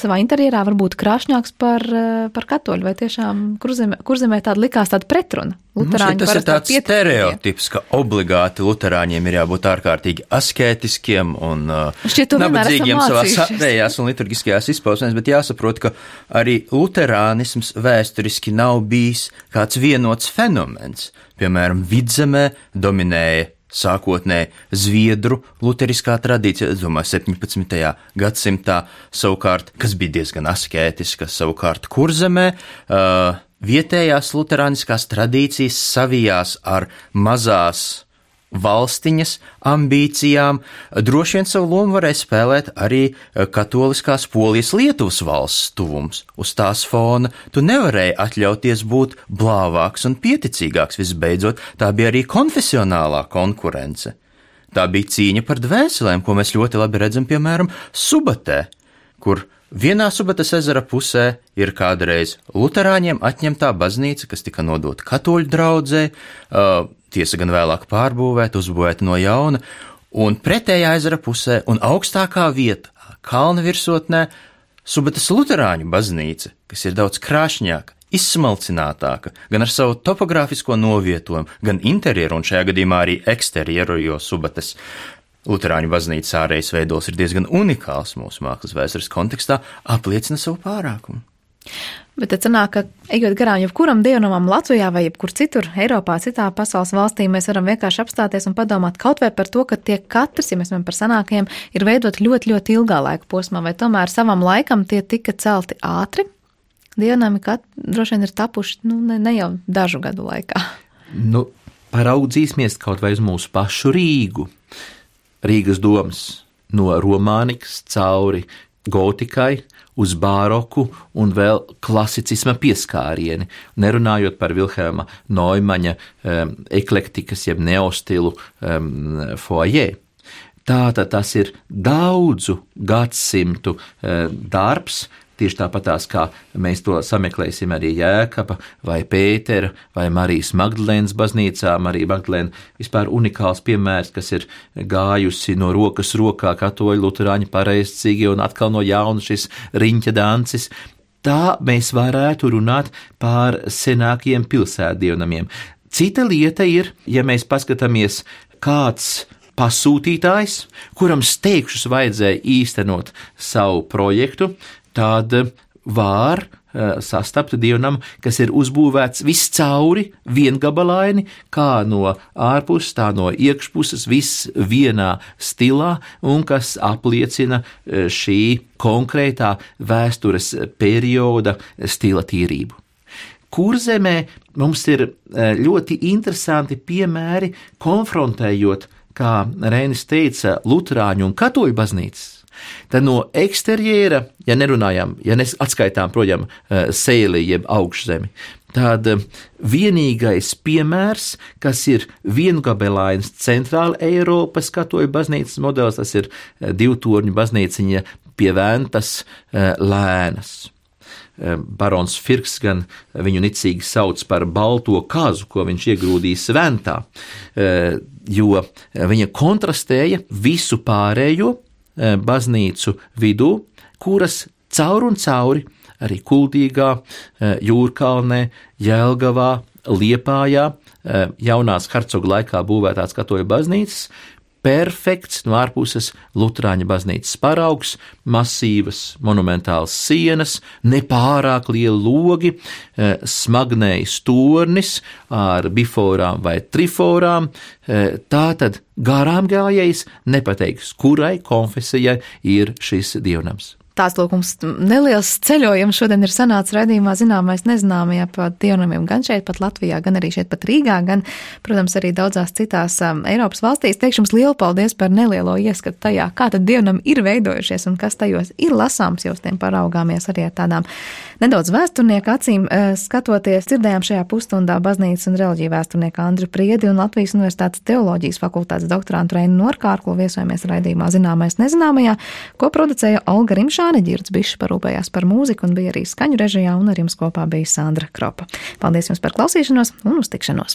savā interjerā var būt krāšņāks par katoļu, vai tiešām kurzemē tāda likās tāda pretruna. Luterāņi tas ir tāds stereotips, ka obligāti luterāņiem ir jābūt ārkārtīgi askētiskiem un nabadzīgiem savās ārējās un liturgiskajās izpausmēs, bet jāsaprot, ka arī luterānisms vēsturiski nav bijis kāds vienots fenomens. Piemēram, Vidzemē dominēja sākotnēji Zviedru luteriskā tradīcija, es domāju, 17. gadsimtā, savukārt, kas bija diezgan askētiska, savukārt Kurzemē, vietējās luterāniskās tradīcijas savijās ar mazās valstiņas ambīcijām. Droši vien savu lomu varēja spēlēt arī katoliskās Polijas Lietuvas valsts tuvums. Uz tās fona tu nevarēji atļauties būt blāvāks un pieticīgāks. Visbeidzot, tā bija arī konfesionālā konkurence. Tā bija cīņa par dvēselēm, ko mēs ļoti labi redzam, piemēram, Subatē, kur vienā Subates ezera pusē ir kādreiz luterāņiem atņemtā baznīca, kas tika nodota katoļu draudzē, tiesa gan vēlāk pārbūvēta, uzbūvēta no jauna, un pretējā ezera pusē un augstākā vieta, kalna virsotnē, Subates luterāņu baznīca, kas ir daudz krāšņāka, izsmalcinātāka, gan ar savu topogrāfisko novietojumu, gan interjeru un šajā gadījumā arī eksterjeru, jo Subates luterāņu baznīcas ārējais veidols ir diezgan unikāls mūsu mākslas vēstures kontekstā, apliecina savu pārākumu. Bet tad sanāk, ka ejot garām jebkuram dievnamam Latvijā vai jebkur citur Eiropā, citā pasaules valstī, mēs varam vienkārši apstāties un padomāt kaut vai par to, ka tie katrs, ja mēs runājam par senākiem, ir veidot ļoti, ļoti ilgā laika posmā, vai tomēr savam laikam tie tika celti ātri. Dievnami droši vien ir tapuši, ne jau dažu gadu laikā. Paraudzīsimies kaut vai uz mūsu pašu Rīgu. Rīgas domas no romānikas cauri gotikai, uz bāroku un vēl klasicisma pieskārieni, nerunājot par Vilhelma Noimaņa eklektikas jeb neostilu foajē. Tātad tas ir daudzu gadsimtu darbs, tieši tāpatās, kā mēs to sameklēsim arī Jēkaba vai Pētera vai Marijas Magdalēnas baznīcā. Marija Magdalēna vispār unikāls piemērs, kas ir gājusi no rokas rokā katoļu luterāņu pareizcīgi un atkal no jauna šis riņķa dancis. Tā mēs varētu runāt par senākiem pilsētdievnamiem. Cita lieta ir, ja mēs paskatāmies, kāds pasūtītājs, kuram steigšus vajadzēja īstenot savu projektu, tad var sastapt dievnamu, kas ir uzbūvēts viscauri, viengabalaini, kā no ārpuses, tā no iekšpuses, viss vienā stilā, un kas apliecina šī konkrētā vēstures perioda stila tīrību. Kurzemē mums ir ļoti interesanti piemēri, konfrontējot, kā Reinis teica, luterāņu un katoļu baznīcas. Tad no eksterjera, ja atskaitām, projām, sēli jeb augšzemi, tad vienīgais piemērs, kas ir viengabelains centrāla Eiropas katoļu baznīcas modelis, tas ir divtorņu baznīciņa pie Ventas Lēnas. Barons Firks gan viņu nicīgi sauc par balto kazu, ko viņš iegrūdīs Ventā, jo viņa kontrastēja visu pārējo baznīcu vidū, kuras caur un cauri arī Kuldīgā, Jūrkalnē, Jelgavā, Liepājā, jaunās hercogu laikā būvētās katoļu baznīcas, perfekts no ārpuses luterāņu baznīcas paraugs, masīvas monumentāls sienas, nepārāk lieli logi, smagnējs tornis ar biforām vai triforām. Tātad garām gājējs nepateiks, kurai konfesijai ir šis dievnams. Tāds lūkums neliels ceļojums šodien ir sanācis raidījumā zināmais nezināmajā pa dievnamiem gan šeit pat Latvijā, gan arī šeit pat Rīgā, gan, protams, arī daudzās citās Eiropas valstīs. Teikšu jums lielu paldies par nelielo ieskatu tajā, kā tad dievnami ir veidojušies un kas tajos ir lasāms, jo uz tiem paraugāmies arī ar tādām nedaudz vēsturnieku acīm skatoties. Dzirdējām šajā pusstundā baznīcas un reliģiju vēsturnieku Andriu Priedi un Latvijas Universitātes teoloģijas fakultātes doktorantu Reinu Norkārklu. Viesojamies raidījumā zināmais nezināmajā, ko producēja Olga Rimšā. Ģirds Bišs parūpējās par mūziku un bija arī skaņu režijā, un ar jums kopā bija Sandra Kropa. Paldies jums par klausīšanos un uz tikšanos!